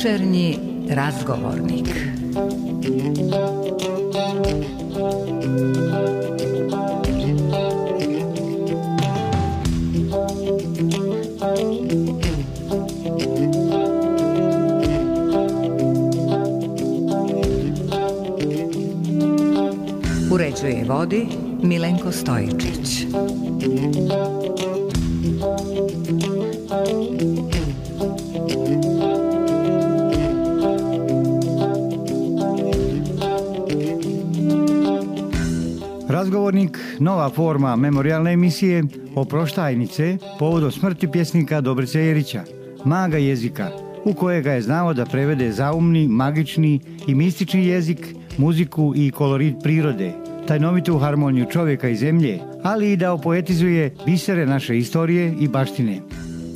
Večernji razgovornik. Uređuje i vodi Milenko Stojičić. Razgovornik, nova forma memorijalne emisije Oproštajnice povodom smrti pjesnika Dobrice Jerića, maga jezika, u kojega je znao da prevede zaumni, magični i mistični jezik, muziku i kolorit prirode, tajnovitu harmoniju čovjeka i zemlje, ali i da opoetizuje bisere naše istorije i baštine.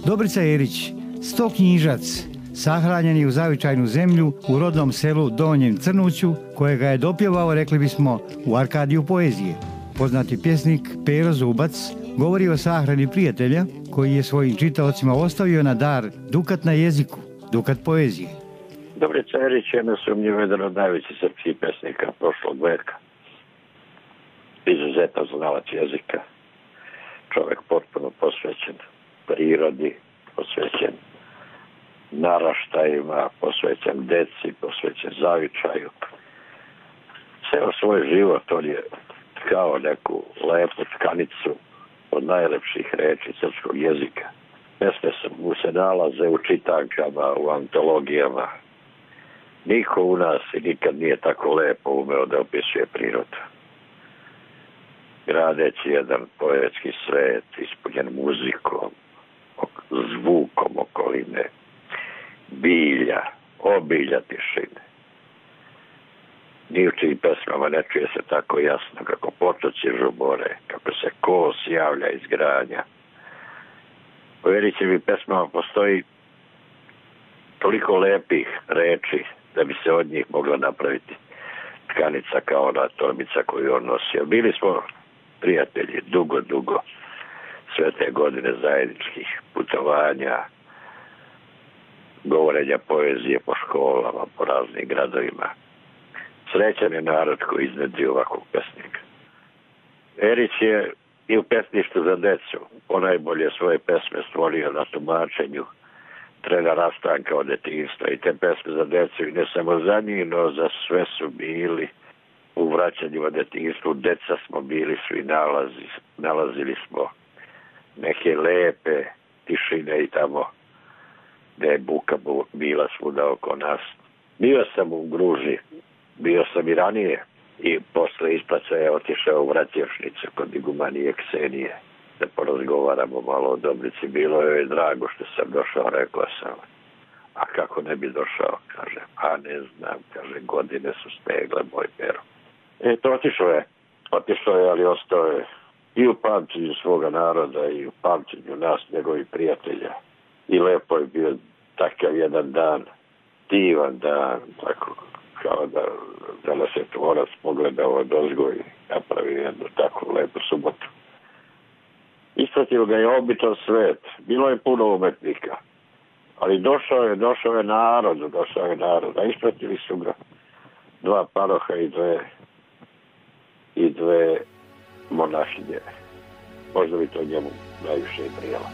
Dobrica Jerić, 100 knjižac, sahranjen je u zavičajnu zemlju u rodnom selu Donjem Crnuću, kojega je dopjevao, rekli bismo, u Arkadiju poezije. Poznati pjesnik Pero Zubac govori o sahrani prijatelja koji je svojim čitaocima ostavio na dar dukat na jeziku, dukat poezije. Dobrica Jerić je nesumnjivo jedan od najvećih srpskih pesnika prošlog veka. Izuzetan znalac jezika. Čovjek potpuno posvećen prirodi, posvećen naraštajima, posvećen deci, posvećen zavičaju. Ceo svoj život on je kao neku lepu tkanicu od najlepših reči srpskog jezika. Pesme mu se nalaze u čitankama, u antologijama. Niko u nas i nikad nije tako lepo umeo da opisuje prirodu. Gradeći jedan poetski svet ispunjen muzikom, zvukom okoline, bilja, obilja tišine. Ni u čijim pesmama ne čuje se tako jasno kako potoci žubore, kako se kos javlja iz granja. U Jerićevim pesmama postoji toliko lepih reči da bi se od njih mogla napraviti tkanica kao ona torbica koju on nosio. Bili smo prijatelji dugo, sve te godine zajedničkih putovanja, govorenja poezije po školama, po raznim gradovima. Srećan je narod koji iznedri ovakvog pesnika. Jerić je i u pesništvu za decu ponajbolje svoje pesme stvorio na tumačenju Trena rastanka od detinjstva i te pesme za decu i ne samo za njih, no za sve su bili u vraćanju od detinjstvu. Deca smo bili svi, nalazili smo neke lepe tišine i tamo gde je buka bila svuda oko nas. Bio sam u Gruži, bio sam i ranije i posle ispraćaja otišao u Vratjevšnicu kod igumanije Ksenije da porazgovaramo malo o Dobrici. Bilo je drago što sam došao, rekao sam. A kako ne bi došao, kaže. A ne znam, kaže, godine su stegle, moj Pero. To otišao je, ali ostao je i u pamćenju svoga naroda i u pamćenju nas, njegovih prijatelja. I lepo je bio takav jedan dan, divan dan, tako kao da nas je tvorac pogledao od ozgo i napravio jednu takvu lepu subotu. Ispratio ga je običan svet, bilo je puno umetnika, ali došao je narod, a ispratili su ga 2 paroha i dve monahinje. Možda bi to njemu najviše i prijelo.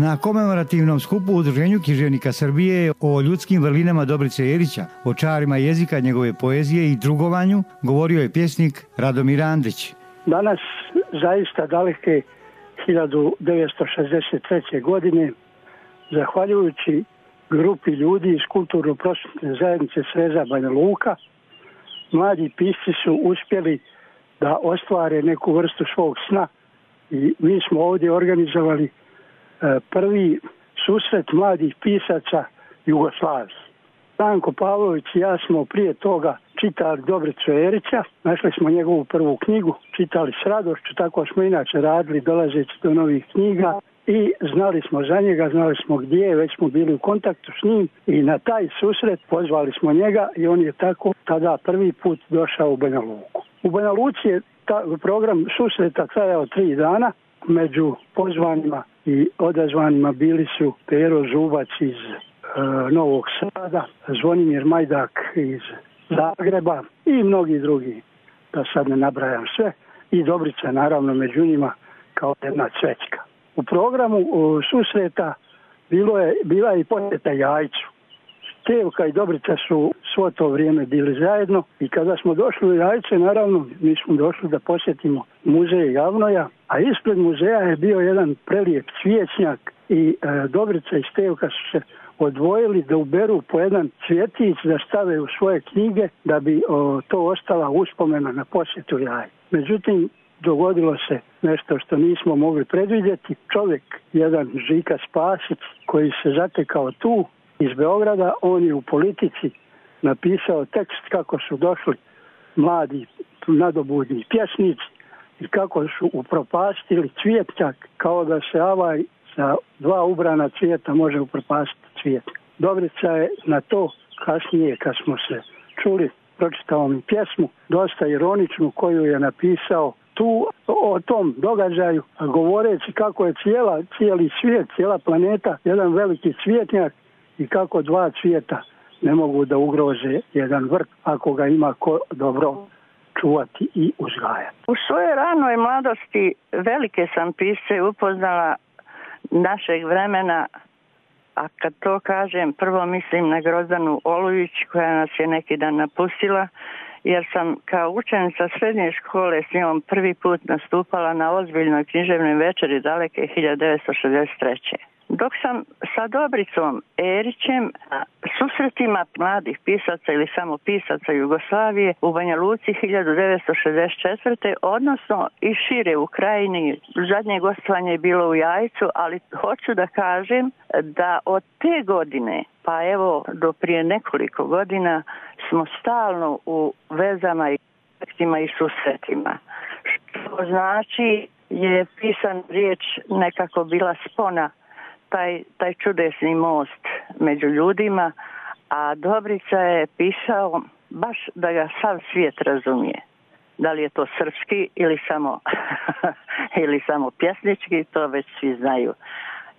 Na komemorativnom skupu u Udruženju književnika Srbije o ljudskim vrlinama Dobrice Jerića, o čarima jezika, njegove poezije i drugovanju, govorio je pjesnik Radomir Andrić. Danas, zaista daleke 1963. godine, zahvaljujući grupi ljudi iz kulturno-prosvetne zajednice Sreza Banja Luka, mladi pisci su uspjeli da ostvare neku vrstu svog sna i mi smo ovdje organizovali prvi susret mladih pisaca Jugoslavije. Stanko Pavlović i ja smo prije toga čitali Dobricu Jerića, našli smo njegovu prvu knjigu, čitali s radošću, tako smo inače radili dolazeći do novih knjiga i znali smo za njega, znali smo gdje je, već smo bili u kontaktu s njim i na taj susret pozvali smo njega i on je tako tada prvi put došao u Banja Luku. U Banja Luci je program susreta trajao 3 dana. Među pozvanima i odazvanima bili su Pero Zubac iz Novog Sada, Zvonimir Majdak iz Zagreba i mnogi drugi, da sad ne nabrajam sve, i Dobrica naravno među njima kao jedna cvećka. U programu susreta bila je i posjeta Jajcu. Stevka i Dobrica su svo to vrijeme bili zajedno i kada smo došli u Jajce, naravno mi smo došli da posjetimo muzej Javnoja, a ispred muzeja je bio jedan prelijep cvijećnjak i Dobrica i Stevka su se odvojili da uberu po jedan cvjetić da stave u svoje knjige da bi to ostala uspomena na posjetu Jajce. Međutim, dogodilo se nešto što nismo mogli predvidjeti. Čovjek, jedan Žika Spasić, koji se zatekao tu iz Beograda, on je u Politici napisao tekst kako su došli mladi nadobudni pjesnici i kako su upropastili cvijetnjak, kao da se avaj sa 2 ubrana cvijeta može upropastiti cvijet. Dobrica je na to kasnije, kad smo se čuli, pročitao mi pjesmu, dosta ironičnu, koju je napisao tu o tom događaju, govoreći kako je cijeli svijet, cijela planeta jedan veliki cvijetnjak i kako 2 cvijeta ne mogu da ugroze jedan vrt ako ga ima ko dobro čuvati i uzgajati. U svojoj ranoj mladosti velike sam pisce upoznala našeg vremena, a kad to kažem prvo mislim na Grozdanu Olujić koja nas je neki dan napustila, jer sam kao učenica srednje škole s njom prvi put nastupala na ozbiljnoj književnoj večeri daleke 1963. Dok sam sa Dobricom Erićem susretima mladih pisaca ili samo pisaca Jugoslavije u Banja Luci 1964. odnosno i šire u Krajini, zadnje gostovanje je bilo u Jajcu, ali hoću da kažem da od te godine pa evo do prije nekoliko godina smo stalno u vezama i kontaktima i susretima. Što znači je pisan riječ nekako bila spona, taj čudesni most među ljudima, a Dobrica je pisao baš da ga sav svijet razumije. Da li je to srpski ili samo pjesnički, to već svi znaju.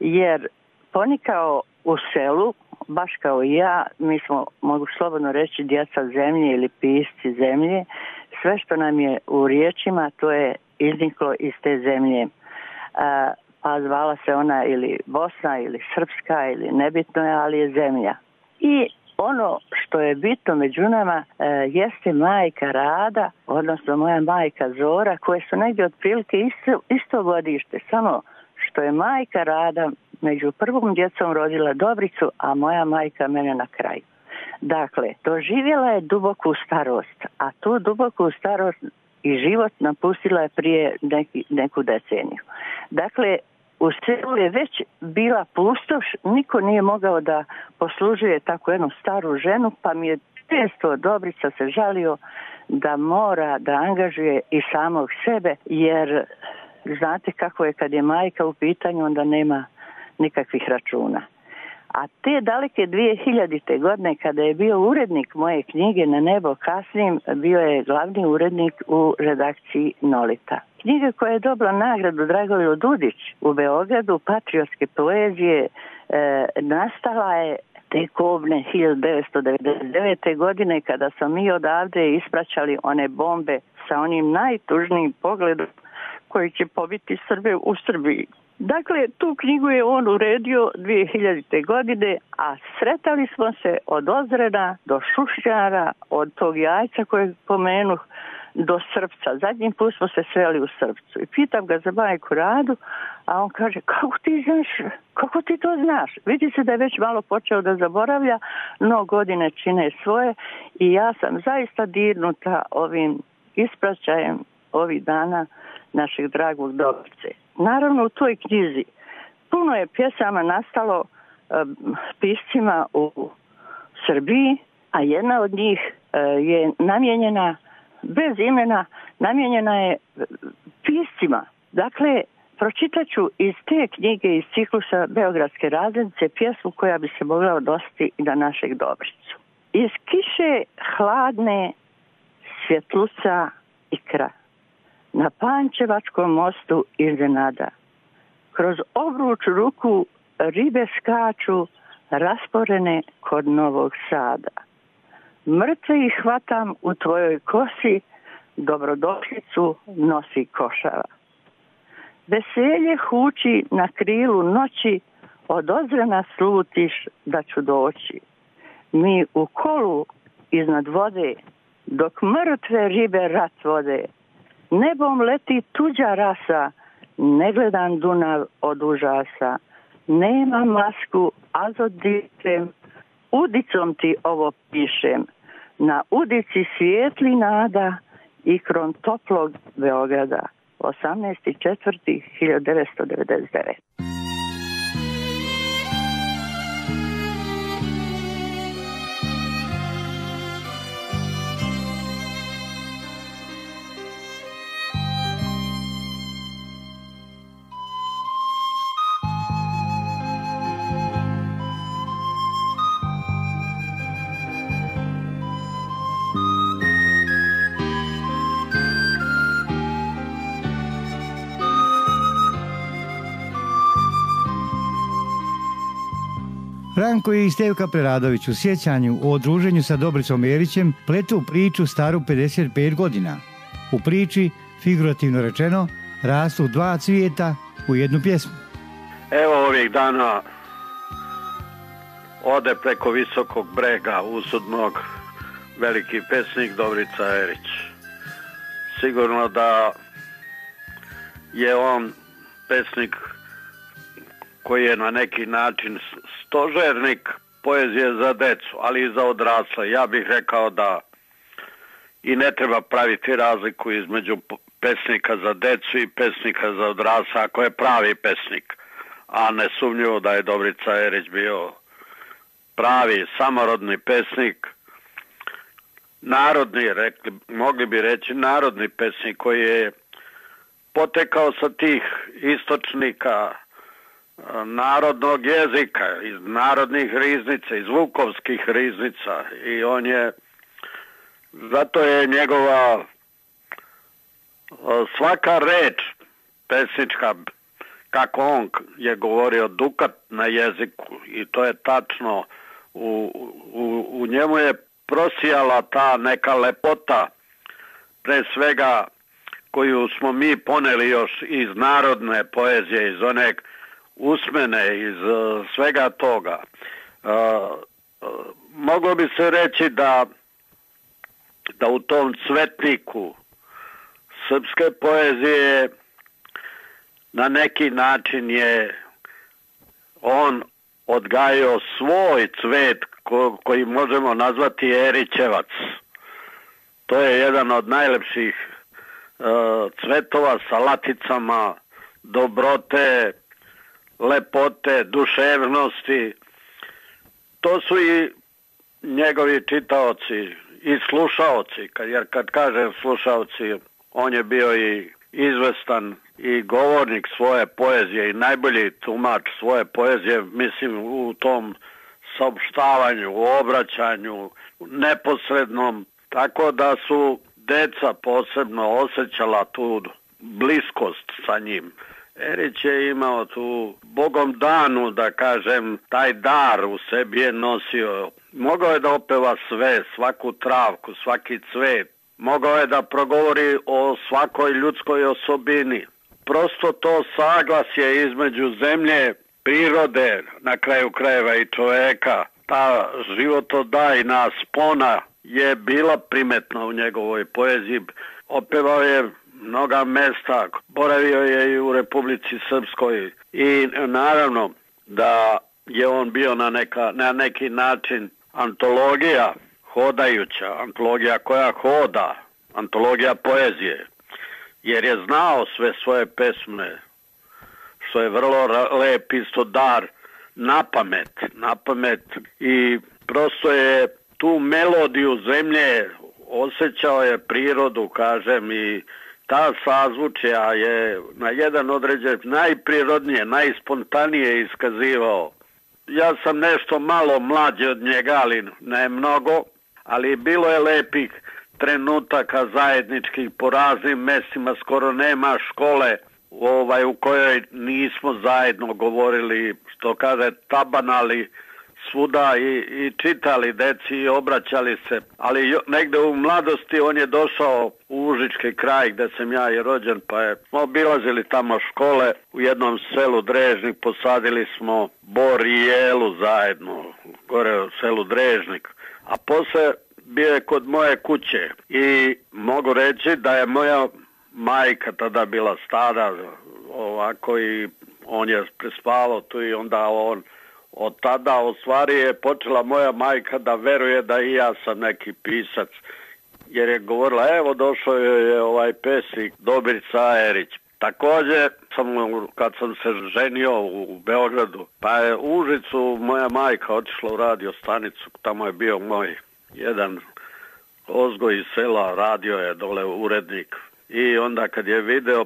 Jer ponikao u selu, baš kao i ja, mi smo, mogu slobodno reći, djeca zemlje ili pisci zemlje. Sve što nam je u riječima, to je izniklo iz te zemlje. Pa zvala se ona ili Bosna ili Srpska ili nebitno je, ali je zemlja. I ono što je bitno među nama jeste majka Rada, odnosno moja majka Zora, koje su negdje otprilike isto godište, samo što je majka Rada među prvom djecom rodila Dobricu, a moja majka mene na kraju. Dakle, doživjela je duboku starost, a tu duboku starost i život napustila je prije neku deceniju. Dakle, u selu je već bila pustoš, niko nije mogao da poslužuje tako jednu staru ženu, pa mi je često Dobrica se žalio da mora da angažuje i samog sebe, jer znate kako je kad je majka u pitanju, onda nema nikakvih računa. A te daleke 2000. godine, kada je bio urednik moje knjige Na nebo kasnim, bio je glavni urednik u redakciji Nolita. Knjiga koja je dobila nagradu Dragoljub Dudić u Beogradu, patriotske poezije, nastala je te kobne 1999. godine, kada smo mi odavde ispraćali one bombe sa onim najtužnijim pogledom koji će pobiti Srbe u Srbiji. Dakle, tu knjigu je on uredio 2000. godine, a sretali smo se od Ozrena do Šušnjara, od tog Jajca kojeg pomenuh, do Srpca. Zadnji put smo se sreli u Srpcu. I pitam ga za majku Radu, a on kaže, kako ti to znaš? Vidi se da je već malo počeo da zaboravlja, no godine čine svoje i ja sam zaista dirnuta ovim ispraćajem ovih dana našeg dragog Dobrice. Naravno, u toj knjizi puno je pjesama nastalo piscima u Srbiji, a jedna od njih je namijenjena, bez imena, namijenjena je piscima. Dakle, Pročitaću iz te knjige, iz ciklusa Beogradske razglednice, pjesmu koja bi se mogla odnositi i na našeg Dobricu. Iz kiše hladne svjetluca ikra, na Pančevačkom mostu iznenada. Kroz obruč ruku ribe skaču, rasporene kod Novog Sada. Mrtve ih hvatam u tvojoj kosi, dobrodošlicu nosi košava. Veselje huči na krilu noći, od ozrena slutiš da ću doći. Mi u kolu iznad vode, dok mrtve ribe rat vode. Nebom leti tuđa rasa, ne gledam Dunav od užasa. Nema masku, azot dišem, udicom ti ovo pišem. Na udici svijetli nada i kron toplog Beograda. 18.4.1999. Ranko i Stevka Preradović u sjećanju o druženju sa Dobricom Jerićem pletu priču staru 55 godina. U priči, figurativno rečeno, rastu dva cvijeta u jednu pjesmu. Evo ovih dana ode preko visokog brega usudnog veliki pesnik Dobrica Jerić. Sigurno da je on pesnik koji je na neki način stožernik poezije za decu, ali i za odrasle. Ja bih rekao da i ne treba praviti razliku između pesnika za decu i pesnika za odrasle, ako je pravi pesnik. A nesumnjivo da je Dobrica Jerić bio pravi, samorodni pesnik, narodni, mogli bi reći narodni pesnik koji je potekao sa tih istočnika narodnog jezika, iz narodnih riznica, iz vukovskih riznica, i on je, zato je njegova svaka reč pesnička, kako on je govorio, dukat na jeziku, i to je tačno, u njemu je prosijala ta neka lepota, pre svega koju smo mi poneli još iz narodne poezije, iz one usmene, iz svega toga. Moglo bi se reći da u tom cvetniku srpske poezije na neki način je on odgajio svoj cvet koji možemo nazvati Erićevac. To je jedan od najlepših cvetova sa laticama dobrote, lepote, duševnosti. To su i njegovi čitaoci i slušaoci, jer kad kažem slušaoci, on je bio i izvestan i govornik svoje poezije i najbolji tumač svoje poezije, mislim, u tom saopštavanju, u obraćanju, neposrednom, tako da su deca posebno osjećala tu bliskost sa njim. Erić je imao tu Bogom danu, da kažem, taj dar u sebi je nosio. Mogao je da opeva sve, svaku travku, svaki cvet. Mogao je da progovori o svakoj ljudskoj osobini. Prosto to saglasje između zemlje, prirode, na kraju krajeva i čoveka, ta životodajna spona je bila primetna u njegovoj poeziji. Opevao je mnoga mesta, boravio je i u Republici Srpskoj i naravno da je on bio na neki način antologija hodajuća, antologija koja hoda, antologija poezije, jer je znao sve svoje pesme, što je vrlo lep isto dar, na pamet, i prosto je tu melodiju zemlje, osjećao je prirodu, kažem, i ta sazvučja je na jedan određen najprirodnije, najspontanije iskazivao. Ja sam nešto malo mlađi od njega, ali ne mnogo, ali bilo je lepih trenutaka zajedničkih po raznim mestima, skoro nema škole u kojoj nismo zajedno govorili, što kaže, tabanali svuda i čitali deci i obraćali se, ali negde u mladosti on je došao u Užički kraj gde sam ja i rođen, pa smo obilazili tamo škole u jednom selu Drežnik, posadili smo bor i jelu zajedno gore u selu Drežnik, a posle bio je kod moje kuće i mogu reći da je moja majka tada bila stara ovako i on je prespavao tu i onda on od tada u stvari je počela moja majka da veruje da i ja sam neki pisac, jer je govorila evo došao je ovaj pesnik Dobrica Erić. Također kad sam se ženio u Beogradu, pa je u Užicu moja majka otišla u radio stanicu, tamo je bio moj jedan ozgoj iz sela, radio je dole urednik. I onda kad je video,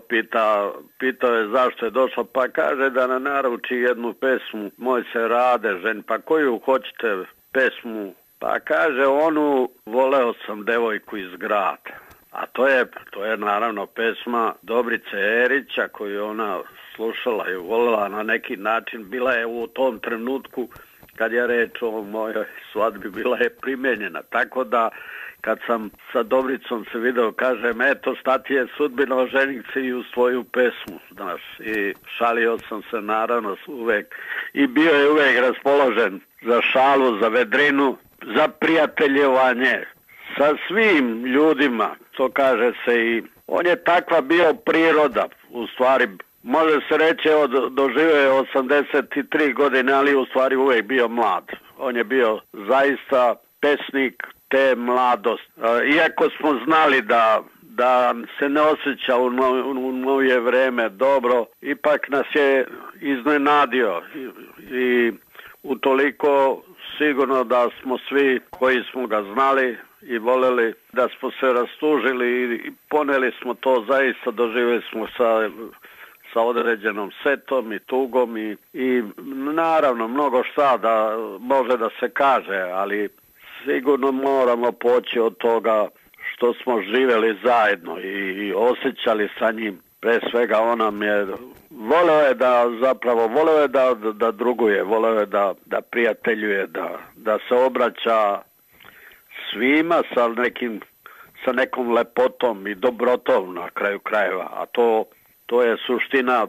pitao je zašto je došao, pa kaže da nam naruči jednu pesmu, moj se Rade žen, pa koju hoćete pesmu? Pa kaže onu, voleo sam devojku iz grada. A to je naravno pesma Dobrice Erića koju ona slušala i volela na neki način, bila je u tom trenutku kad je reč o mojoj svadbi, bila je primjenjena, tako da kad sam sa Dobricom se video, kažem, eto, šta ti je sudbina, oženit se i u svoju pesmu, znaš, i šalio sam se naravno uvek i bio je uvek raspoložen za šalu, za vedrinu, za prijateljevanje sa svim ljudima, to kaže se i on je takva bio priroda, u stvari, može se reći, doživio je 83 godine, ali u stvari uvek bio mlad. On je bio zaista pesnik te mladost. Iako smo znali da se ne osjeća u novije vreme dobro, ipak nas je iznenadio i utoliko sigurno da smo svi koji smo ga znali i voleli, da smo se rastužili i poneli smo to, zaista doživjeli smo sa određenom setom i tugom i naravno mnogo šta da može da se kaže, ali sigurno moramo poći od toga što smo živjeli zajedno i osjećali sa njim. Pre svega on nam je voleo je da druguje, voleo je da prijateljuje, da se obraća svima sa nekom lepotom i dobrotom na kraju krajeva, a to je suština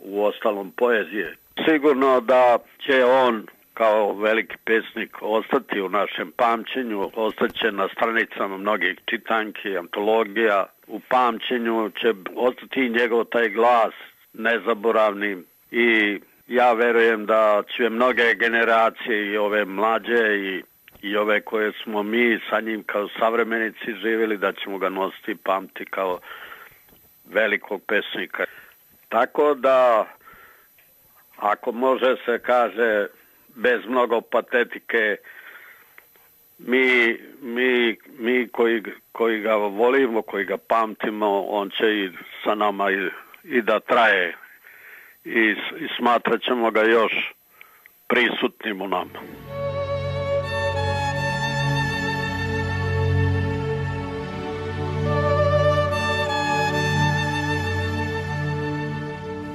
u ostalom poezije. Sigurno da će on kao veliki pesnik ostati u našem pamćenju, ostaće na stranicama mnogih čitanki, antologija, u pamćenju će ostati njegov taj glas nezaboravni i ja verujem da će mnoge generacije i ove mlađe i ove koje smo mi sa njim kao savremenici živjeli, da ćemo ga nositi i pamti kao velikog pesnika. Tako da, ako može se kaže bez mnogo patetike, mi koji ga volimo, koji ga pamtimo, on će i sa nama i da traje i smatrat ćemo ga još prisutnim u nama.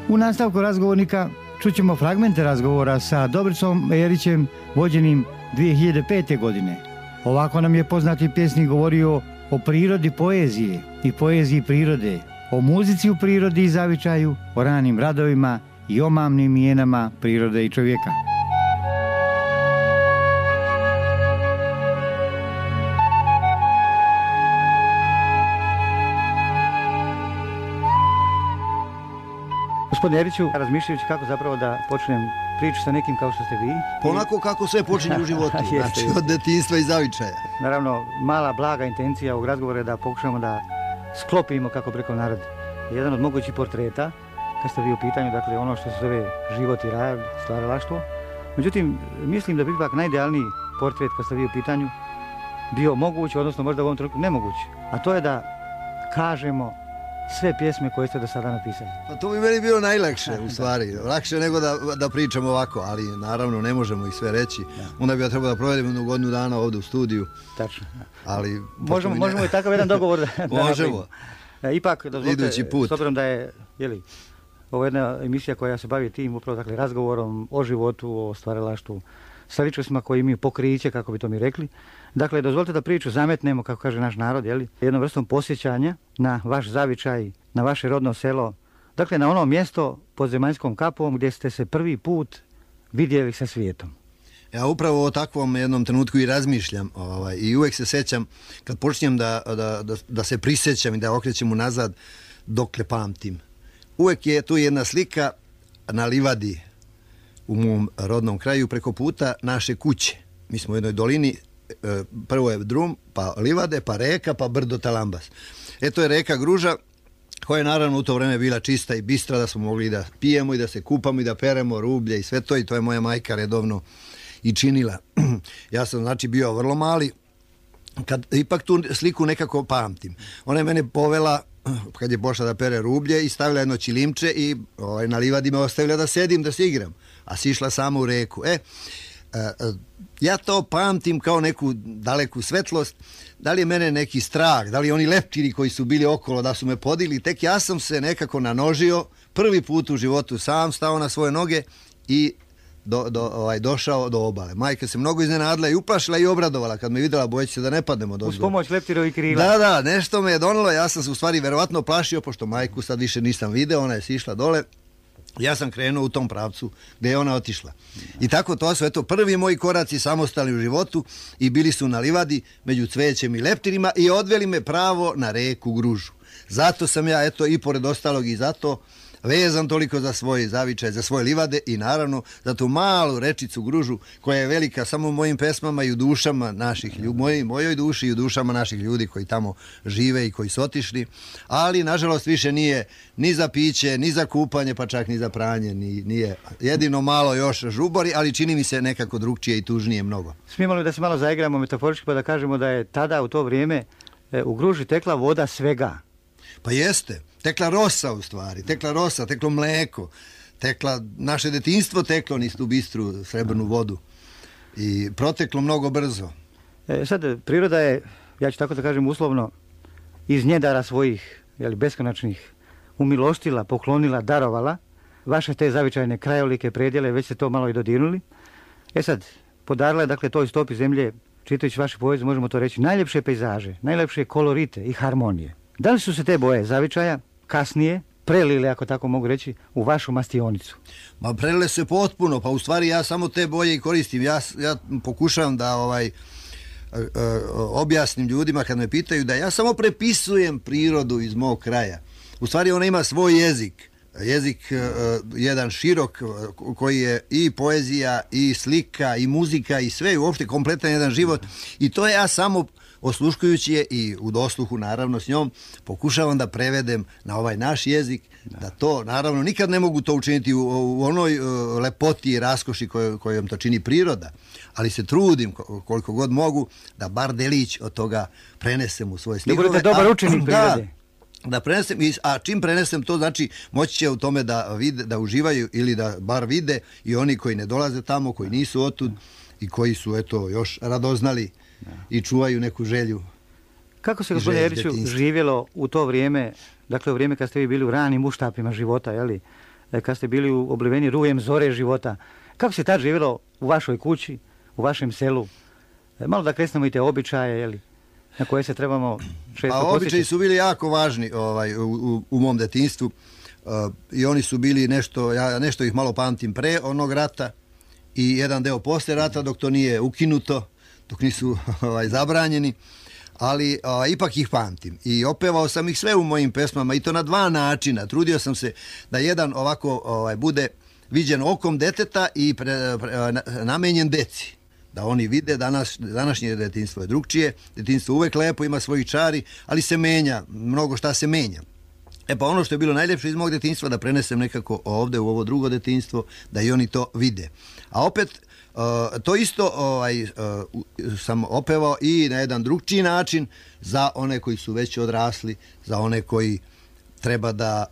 U nastavku razgovornika čućemo fragmente razgovora sa Dobricom Erićem vođenim 2005. godine. Ovako nam je poznati pjesnik govorio o prirodi poezije i poeziji prirode, o muzici u prirodi i zavičaju, o ranim radovima i omamnim mijenama prirode i čovjeka. Gospodine Eriću, razmišljajući kako zapravo da počnem priču sa nekim kao što ste vi. Onako kako sve počinje u životu, znači od detinjstva i zavičaja. Naravno, mala, blaga intencija ovog razgovora je da pokušamo da sklopimo, kako preko narod, jedan od mogućih portreta, kad ste vi u pitanju, dakle ono što se zove život i rad, stvaralaštvo. Međutim, mislim da bi ipak najidealniji portret, kad ste vi u pitanju, bio moguć, odnosno možda u ovom trenutku nemoguć. A to je da kažemo sve pjesme koje ste do sada napisali? Pa to bi meni bilo najlakše, u stvari. Lakše nego da pričamo ovako, ali naravno ne možemo ih sve reći. Onda bi ja trebao da provedem jednu godinu dana ovdje u studiju. Tačno. Ali možemo i takav jedan dogovor da možemo. Ipak, dozvolite, Idući put. s obzirom da je, ovo je jedna emisija koja se bavi tim upravo, dakle, razgovorom o životu, o stvaralaštvu, sa ličnostima koji imaju pokriće, kako bi to mi rekli. Dakle, dozvolite da priču zametnemo, kako kaže naš narod, jednom vrstom posjećanja na vaš zavičaj, na vaše rodno selo, dakle, na ono mjesto pod zemaljskom kapom gdje ste se prvi put vidjeli sa svijetom. Ja upravo o takvom jednom trenutku i razmišljam i uvijek se sećam, kad počinjem da se prisjećam i da okrećem unazad, dokle pamtim. Uvijek je tu jedna slika na livadi u mom rodnom kraju preko puta naše kuće. Mi smo u jednoj dolini, prvo je drum, pa livade, pa reka, pa brdo Talambas. To je reka Gruža, koja je naravno u to vreme bila čista i bistra, da smo mogli da pijemo i da se kupamo i da peremo rublje i sve to, i to je moja majka redovno i činila. Ja sam znači bio vrlo mali, kad ipak tu sliku nekako pamtim. Ona je mene povela kad je pošla da pere rublje i stavila jedno čilimče i na livadi me ostavila da sedim, da se igram, a sišla samo u reku. Ja to pamtim kao neku daleku svetlost. Da li je mene neki strah, da li oni leptiri koji su bili okolo da su me podigli, tek ja sam se nekako nanožio, prvi put u životu sam stao na svoje noge i došao do obale. Majka se mnogo iznenadila i uplašila i obradovala kad me vidjela, bojeći se da ne padnemo dozgo. Uz pomoć leptirovih krila. Da, nešto me je donelo, ja sam se u stvari verovatno plašio, pošto majku sad više nisam video, ona je sišla dole. Ja sam krenuo u tom pravcu gdje je ona otišla. I tako to su, prvi moji koraci samostalni u životu i bili su na livadi među cvećem i leptirima i odveli me pravo na reku Gružu. Zato sam ja, i pored ostalog i zato vezan toliko za svoj zavičaj, za svoje livade i naravno za tu malu rečicu Gružu koja je velika samo u mojim pesmama i u dušama naših ljudi, mojoj duši i u dušama naših ljudi koji tamo žive i koji su otišli, ali nažalost više nije ni za piće, ni za kupanje, pa čak ni za pranje, nije jedino malo još žubori, ali čini mi se nekako drugčije i tužnije mnogo. Smijemo li da se malo zaigramo metaforički pa da kažemo da je tada u to vrijeme u Gruži tekla voda svega? Pa jeste. Tekla rosa u stvari, teklo mleko, naše detinjstvo teklo niz tu bistru srebrnu vodu i proteklo mnogo brzo. Sad, priroda je, ja ću tako da kažem uslovno, iz njedara svojih beskonačnih umilostila, poklonila, darovala vaše te zavičajne krajolike, predjele, već ste to malo i dodirnuli. Sad, podarila je dakle toj stopi zemlje, čitajući vaše poezije, možemo to reći, najljepše pejzaže, najljepše kolorite i harmonije. Da li su se te boje zavičaja kasnije prelile, ako tako mogu reći, u vašu mastionicu? Ma prelile se potpuno, pa u stvari ja samo te boje i koristim. Ja pokušavam da objasnim ljudima kad me pitaju da ja samo prepisujem prirodu iz mog kraja. U stvari ona ima svoj jezik. Jezik jedan širok koji je i poezija i slika i muzika i sve, uopšte kompletan jedan život, i to ja samo osluškujući je i u dosluhu naravno s njom pokušavam da prevedem na ovaj naš jezik, da to naravno nikad ne mogu to učiniti u onoj lepoti i raskoši kojom to čini priroda, ali se trudim koliko god mogu da bar delić od toga prenesem u svoje stihove. Da budete dobar učenik prirode. Da prenesem, a čim prenesem to znači moći će u tome da vide, da uživaju ili da bar vide i oni koji ne dolaze tamo, koji nisu otud i koji su još radoznali i čuvaju neku želju. Kako se, gospodine Eriću, živjelo u to vrijeme, dakle u vrijeme kad ste vi bili u ranim uštapima života, kad ste bili obliveni rujem zore života, kako se tad živjelo u vašoj kući, u vašem selu? Malo da kresnemo i te običaje, na koje se trebamo često posjećati. Običaji su bili jako važni u mom detinjstvu i oni su bili ja nešto ih malo pamtim pre onog rata i jedan deo posle rata dok to nije ukinuto, dok nisu zabranjeni, ali ipak ih pamtim i opevao sam ih sve u mojim pesmama i to na dva načina. Trudio sam se da jedan ovako bude viđen okom deteta i namenjen deci. Da oni vide, današnje detinjstvo je drugčije, detinjstvo uvek lepo, ima svojih čari, ali se menja, mnogo šta se menja. Pa ono što je bilo najljepše iz mog detinjstva da prenesem nekako ovde u ovo drugo detinjstvo, da i oni to vide. A opet, to isto sam opevao i na jedan drugčiji način za one koji su već odrasli, za one koji treba da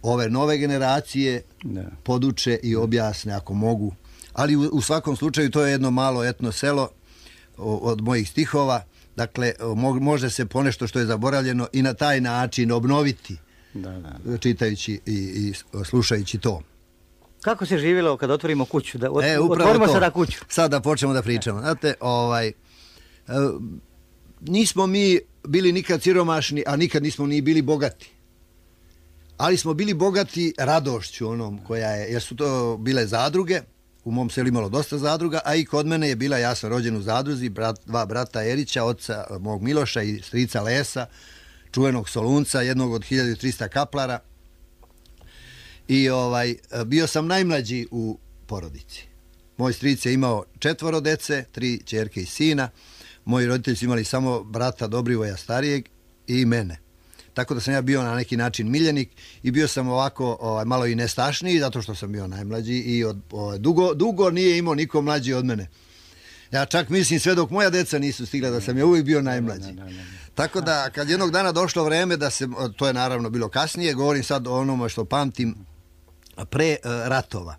ove nove generacije poduče i objasne ako mogu. Ali u svakom slučaju to je jedno malo etno selo od mojih stihova. Dakle, može se ponešto što je zaboravljeno i na taj način obnoviti, čitajući i slušajući to. Kako se živjelo kad otvorimo kuću? Otvorimo sada kuću. Sad da počnemo da pričamo. Znate, nismo mi bili nikad siromašni, a nikad nismo ni bili bogati. Ali smo bili bogati radošću onom koja je, jer su to bile zadruge, u mom selu imalo dosta zadruga, a i kod mene je bila, ja sam rođen u zadruzi, dva brata Erića, oca mog Miloša i strica Lesa, čuvenog Solunca, jednog od 1300 kaplara. I bio sam najmlađi u porodici. Moj stric je imao 4 dece, 3 ćerke i sina. Moji roditelji su imali samo brata Dobrivoja starijeg i mene. Tako da sam ja bio na neki način miljenik i bio sam ovako malo i nestašniji zato što sam bio najmlađi i dugo nije imao niko mlađi od mene. Ja čak mislim sve dok moja deca nisu stigla da sam ja uvijek bio najmlađi. Tako da kad jednog dana došlo vreme da se, to je naravno bilo kasnije, govorim sad o onome što pamtim pre ratova.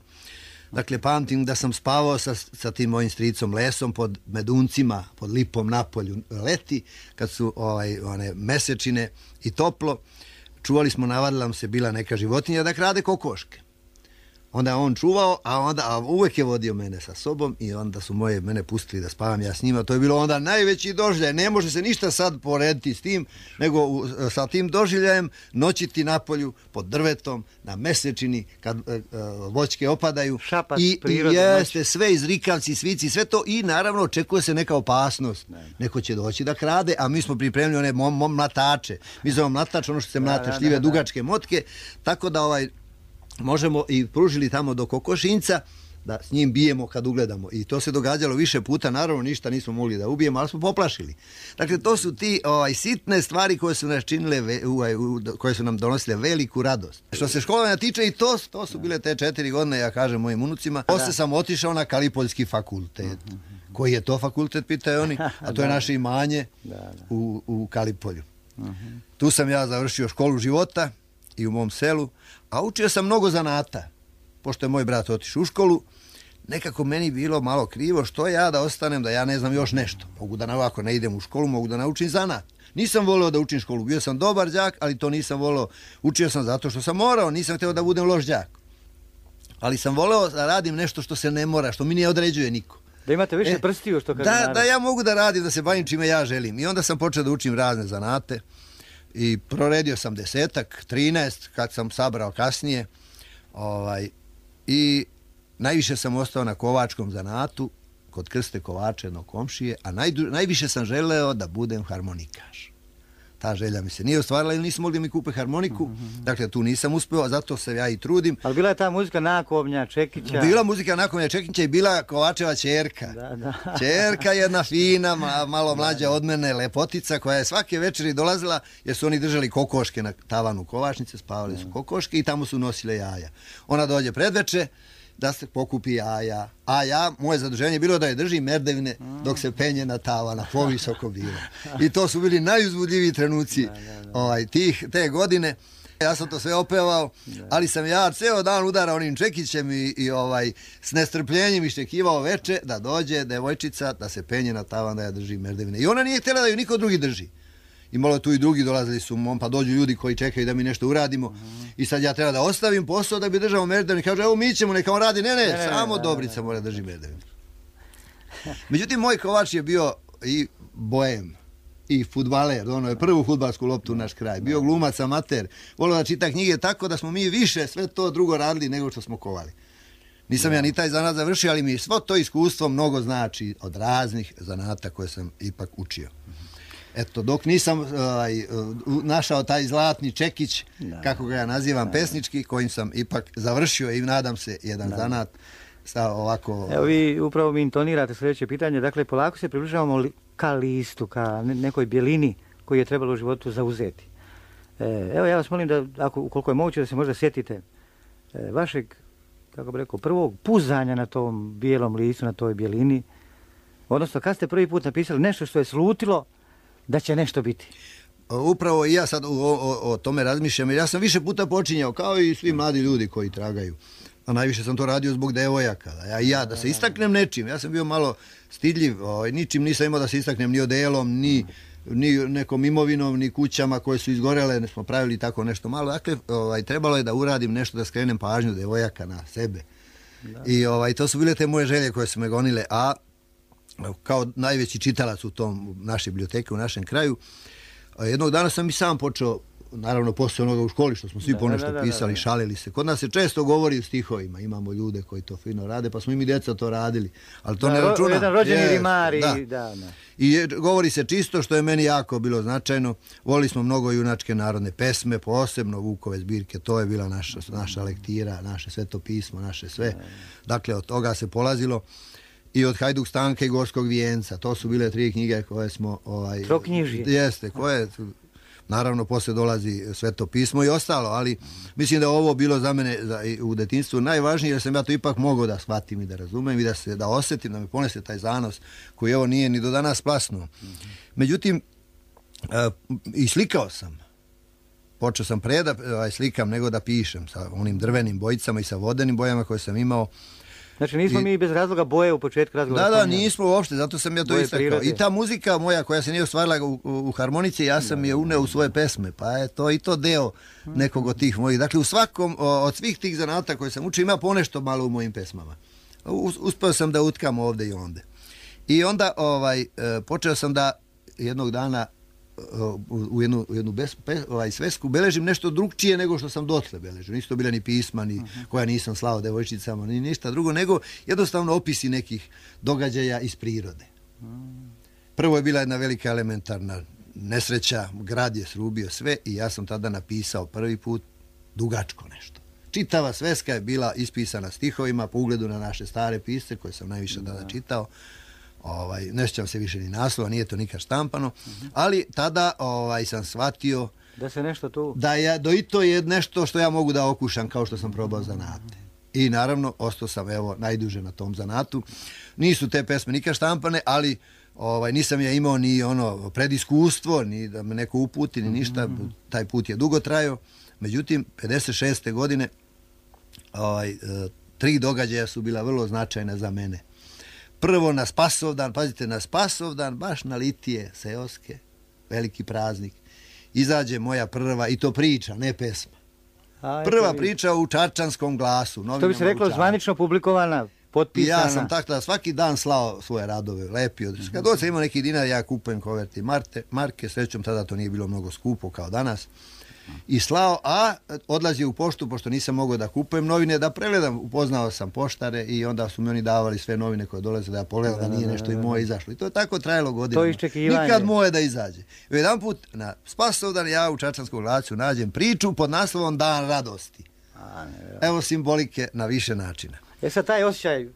Dakle, pamtim da sam spavao sa tim mojim stricom Lesom pod meduncima, pod lipom na polju leti, kad su one mesečine i toplo. Čuvali smo, navadila nam se bila neka životinja da krade kokoške. Onda je on čuvao, a uvijek je vodio mene sa sobom i onda su mene pustili da spavam ja s njima. To je bilo onda najveći doživljaj. Ne može se ništa sad porediti s tim, nego sa tim doživljajem noćiti napolju pod drvetom, na mesečini, kad voćke opadaju. Šapat, i jeste sve izrikavci, svici, sve to i naravno očekuje se neka opasnost. Neko će doći da krade, a mi smo pripremili one mlatače. Mi zovemo mlatač, ono što se mlate, šljive, dugačke motke, tako da možemo i pružili tamo do kokošinca da s njim bijemo kad ugledamo. I to se događalo više puta, naravno ništa nismo mogli da ubijemo, ali smo poplašili. Dakle, to su ti sitne stvari koje su nas činile, koje su nam donosile veliku radost. Što se školovanja tiče, i to su bile te 4 godine, ja kažem mojim unucima. Posle sam otišao na Kalipoljski fakultet. Koji je to fakultet, pitaju oni, a to je naše imanje u Kalipolju. Tu sam ja završio školu života i u mom selu, a učio sam mnogo zanata. Pošto je moj brat otišao u školu, nekako meni bilo malo krivo što ja da ostanem, da ja ne znam još nešto. Mogu da ovako ne idem u školu, mogu da naučim zanat. Nisam voleo da učim školu, bio sam dobar đak, ali to nisam voleo. Učio sam zato što sam morao, nisam htio da budem loš đak. Ali sam voleo da radim nešto što se ne mora, što mi ne određuje niko. Da imate više prstiju, što kaže narod. Da ja mogu da radim, da se bavim čime ja želim. I onda sam počeo da učim razne zanate. I proredio sam 10-ak, 13 kad sam sabrao kasnije. I najviše sam ostao na kovačkom zanatu kod Krste Kovača, jednog komšije, a najviše sam želeo da budem harmonikaš. Ta želja mi se nije ostvarila ili nisam mogli mi kupe harmoniku. Dakle, tu nisam uspeo, zato se ja i trudim. Ali bila je ta muzika Nakovnja, Čekića. Bila muzika Nakovnja, Čekića i bila Kovačeva ćerka. Ćerka jedna fina, malo mlađa od mene, lepotica, koja je svake večeri dolazila, jer su oni držali kokoške na tavanu kovačnice, spavali su kokoške i tamo su nosile jaja. Ona dođe predveče da se pokupi jaja. A moje zaduženje je bilo da je držim merdevine dok se penje na tavana, povisoko bilo. I to su bili najuzbudljiviji trenuci te godine. Ja sam to sve opevao, ali sam ja ceo dan udarao onim Čekićem i s nestrpljenjem iščekivao veče da dođe devojčica da se penje na tavan da ja držim merdevine. I ona nije htjela da ju niko drugi drži. I malo tu i drugi dolazili su, pa dođu ljudi koji čekaju da mi nešto uradimo. I sad ja treba da ostavim posao da bi držao merdevine. Kaže, evo mi ćemo, neka on radi. Ne, samo Dobrica mora drži merdevine. Međutim, moj Kovač je bio i bojem, i fudbaler, ono je prvu fudbalsku loptu u naš kraj. Bio glumac, amater, volio da čita knjige, tako da smo mi više sve to drugo radili nego što smo kovali. Nisam ja ni taj zanat završio, ali mi svo to iskustvo mnogo znači od raznih zanata koje sam ipak učio. Eto, dok nisam našao taj zlatni čekić, kako ga ja nazivam, pesnički, kojim sam ipak završio i nadam se jedan zanat sa ovako... Evo vi upravo mi intonirate sljedeće pitanje, dakle polako se približavamo ka listu, ka nekoj bjelini koju je trebalo u životu zauzeti. Evo ja vas molim da, ukoliko je moguće, da se možda sjetite vašeg, kako bi rekao, prvog puzanja na tom bijelom listu, na toj bjelini, odnosno kad ste prvi put napisali nešto što je slutilo da će nešto biti. upravo i ja sad o tome razmišljam, jer ja sam više puta počinjao, kao i svi mladi ljudi koji tragaju. A najviše sam to radio zbog devojaka. Da se istaknem nečim. Ja sam bio malo stidljiv, ničim nisam imao da se istaknem ni odelom, ni nekom imovinom, ni kućama koje su izgorele, ne smo pravili tako nešto malo. Dakle, trebalo je da uradim nešto da skrenem pažnju devojaka na sebe. I to su bile te moje želje koje su me gonile, a kao najveći čitalac u tom naše biblioteke, u našem kraju, jednog dana sam i sam počeo, naravno posle onoga u školi što smo svi ponešto pisali, šalili se. Kod nas se često govori u stihovima, imamo ljude koji to fino rade, pa smo i mi djeca to radili, ali to ne računam. Jedan rođeni rimar i govori se čisto, što je meni jako bilo značajno. Volili smo mnogo junačke narodne pesme, posebno Vukove zbirke, to je bila naša lektira, naše svetopismo, naše sve. Dakle, od toga se polazilo. I od Hajduk Stanka i Gorskog vijenca, to su bile 3 knjige koje smo... Troknjižje. Jeste, koje... Naravno, posle dolazi svetopismo i ostalo, ali mislim da je ovo bilo za mene u detinjstvu najvažnije, jer sam ja to ipak mogao da shvatim i da razumem i da osjetim, da me ponese taj zanos koji evo nije ni do danas plasnuo. Međutim, i slikao sam. Počeo sam pre da slikam nego da pišem sa onim drvenim bojicama i sa vodenim bojama koje sam imao. Znači nismo mi bez razloga boje u početku razgovora. Da, nismo uopšte, zato sam ja to istakao. I ta muzika moja koja se nije ostvarila u harmonici, ja sam je uneo u svoje pesme, pa je to i to deo nekog od tih mojih. Dakle, u svakom od svih tih zanata koje sam učio ima ponešto malo u mojim pesmama. Uspeo sam da utkam ovde i onde. I onda počeo sam da jednog dana u jednu svesku beležim nešto drugčije nego što sam dotle beležio. Nisu to bile ni pisma, ni koja nisam slao devojčicama, ni ništa drugo, nego jednostavno opisi nekih događaja iz prirode. Prvo je bila jedna velika elementarna nesreća, grad je srubio sve i ja sam tada napisao prvi put dugačko nešto. Čitava sveska je bila ispisana stihovima po ugledu na naše stare pisce koje sam najviše tada čitao. Ne sjećam se više ni naslova, nije to nikad štampano, ali tada sam shvatio da se nešto tu... Da i to je nešto što ja mogu da okušam kao što sam probao zanate. I naravno, ostao sam najduže na tom zanatu. Nisu te pesme nikad štampane, ali nisam ja imao ni prediskustvo, ni da me neko uputi, ni ništa. Taj put je dugo trajao. Međutim, 56. godine 3 događaja su bila vrlo značajna za mene. Prvo na Spasovdan, pazite, na Spasovdan, baš na litije seoske, veliki praznik, izađe moja prva, i to priča, ne pesma. Prva priča u Čačanskom glasu. Što bi se reklo, zvanično publikovana, potpisana. Ja sam tako da svaki dan slao svoje radove, lepio. Kad god sam imao neki dinar, ja kupujem koverti marke, srećom tada to nije bilo mnogo skupo kao danas. I slao, a odlazio u poštu, pošto nisam mogao da kupujem novine, da pregledam, upoznao sam poštare i onda su mi oni davali sve novine koje dolaze da ja pogledam da nije nešto i moje izašlo. I to je tako trajalo godinama. To iščekivanje. Nikad moje da izađe. Jedan put na Spasovdan ja u Čačanskom glasu nađem priču pod naslovom Dan radosti. Evo simbolike na više načina. Sad taj osjećaj...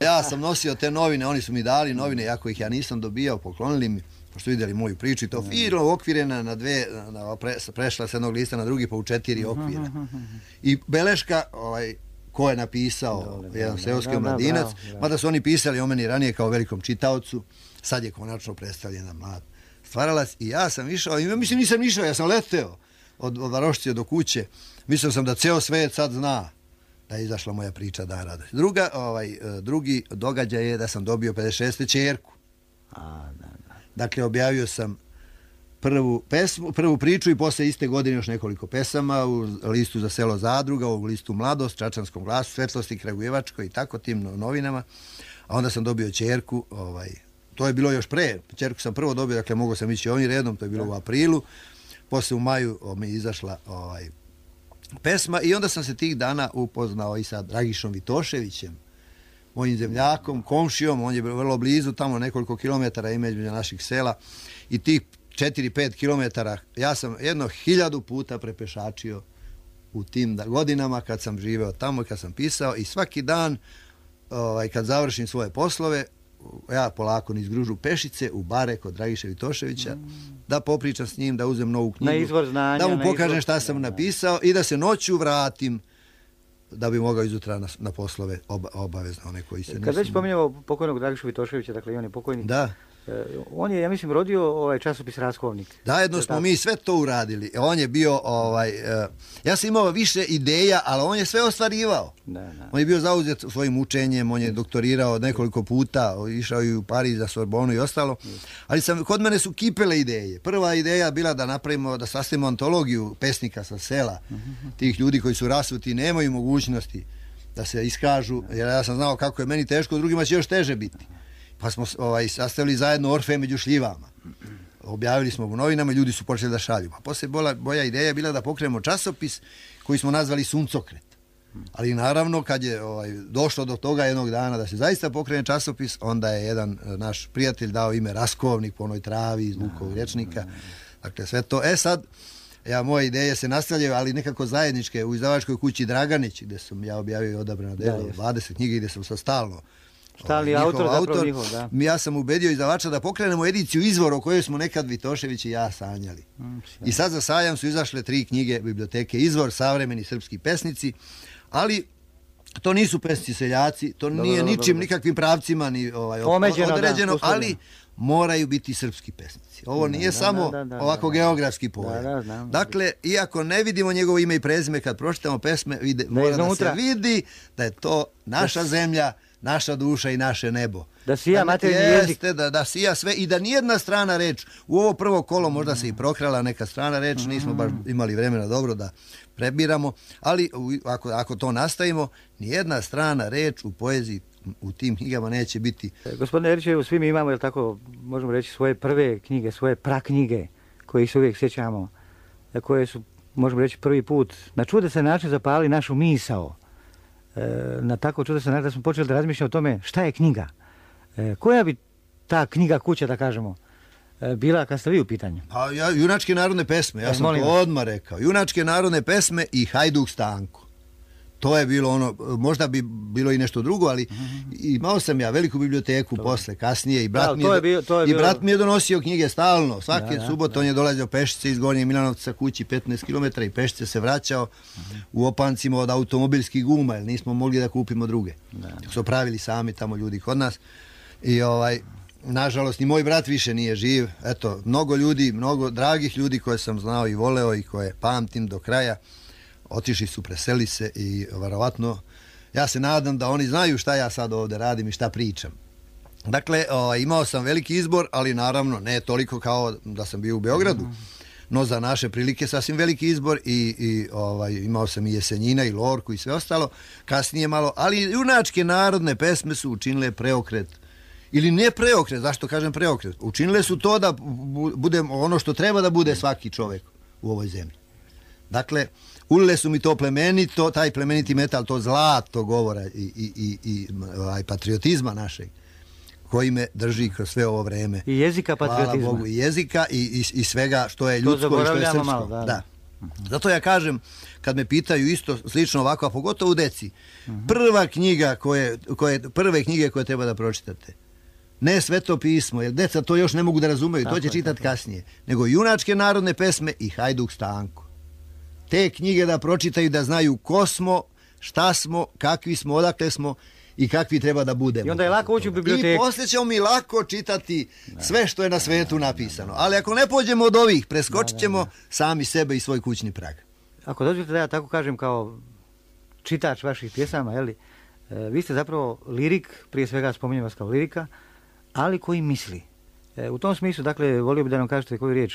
Ja sam nosio te novine, oni su mi dali novine, iako ih ja nisam dobijao, poklonili mi, pošto vidjeli moju priču i to fino okvirena na 2, prešla s jednog lista na drugi, pa u 4 okvira. I beleška, ko je napisao, jedan seoski mladinac, mada su oni pisali o meni ranije kao velikom čitaocu, sad je konačno predstavljen jedan mlad stvaralac i ja sam išao, i mislim nisam išao, ja sam leteo od Varošice do kuće, mislio sam da ceo svet sad zna da je izašla moja priča Dan radosti. Drugi događaj je da sam dobio 56. ćerku. Dakle, objavio sam prvu priču i posle iste godine još nekoliko pesama u listu za selo Zadruga, u listu Mladost, Čačanskom glasu, Svetlosti Kragujevačkoj i tako tim novinama. A onda sam dobio ćerku, to je bilo još pre, ćerku sam prvo dobio, dakle mogao sam ići ovim redom, to je bilo u aprilu, posle u maju mi je izašla pesma i onda sam se tih dana upoznao i sa Dragišom Vitoševićem, mojim zemljakom, komšijom, on je vrlo blizu, tamo nekoliko kilometara između naših sela i tih 4-5 kilometara ja sam 1000 puta prepešačio u tim godinama kad sam živeo tamo i kad sam pisao i svaki dan kad završim svoje poslove ja polako niz Gružu Pešice u bare kod Dragiše Vitoševića da popričam s njim, da uzem novu knjigu, da mu pokažem šta sam napisao i da se noću vratim da bi mogao izutra na poslove obavezno one koji se Kad već spominjamo pokojnog Dragišu Vitoševića, dakle i on je pokojnik. Da. On je, ja mislim, rodio ovaj časopis Raskovnik. Zajedno smo mi sve to uradili. On je bio, ja sam imao više ideja, ali on je sve ostvarivao. On je bio zauzet svojim učenjem, on je doktorirao nekoliko puta, išao i u Pariz za Sorbonu i ostalo. Ali kod mene su kipele ideje. Prva ideja bila da napravimo, da sastavimo antologiju pesnika sa sela, tih ljudi koji su rasuti i nemaju mogućnosti da se iskažu, jer ja sam znao kako je meni teško, drugima će još teže biti. Pa smo sastavili zajedno Orfe među šljivama. Objavili smo u novinama i ljudi su počeli da šalju. Pa poslije moja ideja je bila da pokrenemo časopis koji smo nazvali Suncokret. Ali naravno kad je došlo do toga jednog dana da se zaista pokrene časopis, onda je jedan naš prijatelj dao ime Raskovnik po onoj travi iz Vukovog rječnika. Dakle sve to. Sad, moje ideje se nastavljaju, ali nekako zajedničke u izdavačkoj kući Draganić, gdje sam ja objavio i Odabrano delo, 20 knjiga gdje sam sa stalno autor, da. Ja sam ubedio izdavača da pokrenemo ediciju Izvor o kojoj smo nekad Vitošević i ja sanjali. I sad za sajam su izašle 3 knjige biblioteke Izvor, savremeni srpski pesnici, ali to nisu pesnici seljaci, to nije ničim, nikakvim pravcima ni određeno, ali moraju biti srpski pesnici. Ovo nije samo ovako geografski pojam. Dakle, iako ne vidimo njegovo ime i prezime, kad pročitamo pesme, mora da se vidi da je to naša zemlja, naša duša i naše nebo. Da sija materijni jezik. Da sija sve i da nijedna strana reč, u ovo prvo kolo možda se i prokrala neka strana reč, nismo baš imali vremena dobro da prebiramo, ali ako to nastavimo, nijedna strana reč u poeziji u tim knjigama neće biti. Gospodine Erićevu, svi mi imamo, jel tako, možemo reći, svoje prve knjige, svoje praknjige, koje se uvijek sjećamo, koje su, možemo reći, prvi put na čudesan način zapali našu misao. Na tako čudesan način da smo počeli da razmišljamo o tome šta je knjiga. Koja bi ta knjiga kuća, da kažemo, bila kad ste vi u pitanju? Junačke narodne pesme, ja sam to odmah rekao. Junačke narodne pesme i Hajduk Stanko. To je bilo ono, možda bi bilo i nešto drugo, ali imao sam ja veliku biblioteku posle, kasnije, i brat mi je donosio knjige stalno. Svake subote on je dolazio pešice iz Gornjeg Milanovca kući 15 km i pešice se vraćao u opancima od automobilskih guma, jer nismo mogli da kupimo druge. Su pravili sami tamo ljudi kod nas. I nažalost, ni moj brat više nije živ. Eto, mnogo ljudi, mnogo dragih ljudi koje sam znao i voleo i koje pamtim do kraja, otišli su, preseli se i verovatno ja se nadam da oni znaju šta ja sad ovdje radim i šta pričam. Dakle, imao sam veliki izbor, ali naravno ne toliko kao da sam bio u Beogradu, no za naše prilike sasvim veliki izbor i imao sam i Jesenjina i Lorku i sve ostalo, kasnije malo, ali junačke narodne pesme su učinile preokret. Ili ne preokret, zašto kažem preokret? Učinile su to da bude ono što treba da bude svaki čovjek u ovoj zemlji. Dakle, ulile su mi to plemenito, taj plemeniti metal, to zlato govora i patriotizma našeg, koji me drži kroz sve ovo vreme. I jezika patriotizma. Hvala Bogu, i jezika i svega što je ljudsko i što je srpsko. Malo, da. Zato ja kažem, kad me pitaju isto slično ovako, a pogotovo u deci, prve knjige koje treba da pročitate, ne Sveto pismo, jer deca to još ne mogu da razumeju, to će čitati kasnije, nego junačke narodne pesme i Hajduk Stanko. Te knjige da pročitaju, da znaju ko smo, šta smo, kakvi smo, odakle smo i kakvi treba da budemo. I onda je lako ući u biblioteku. I poslije ćemo mi lako čitati sve što je na svetu napisano. Ali ako ne pođemo od ovih, preskočit ćemo sami sebe i svoj kućni prag. Ako dozvolite da ja tako kažem kao čitač vaših pjesama, jeli, vi ste zapravo lirik, prije svega spominjem vas kao lirika, ali koji misli. U tom smislu, dakle, volio bi da nam kažete koju riječ.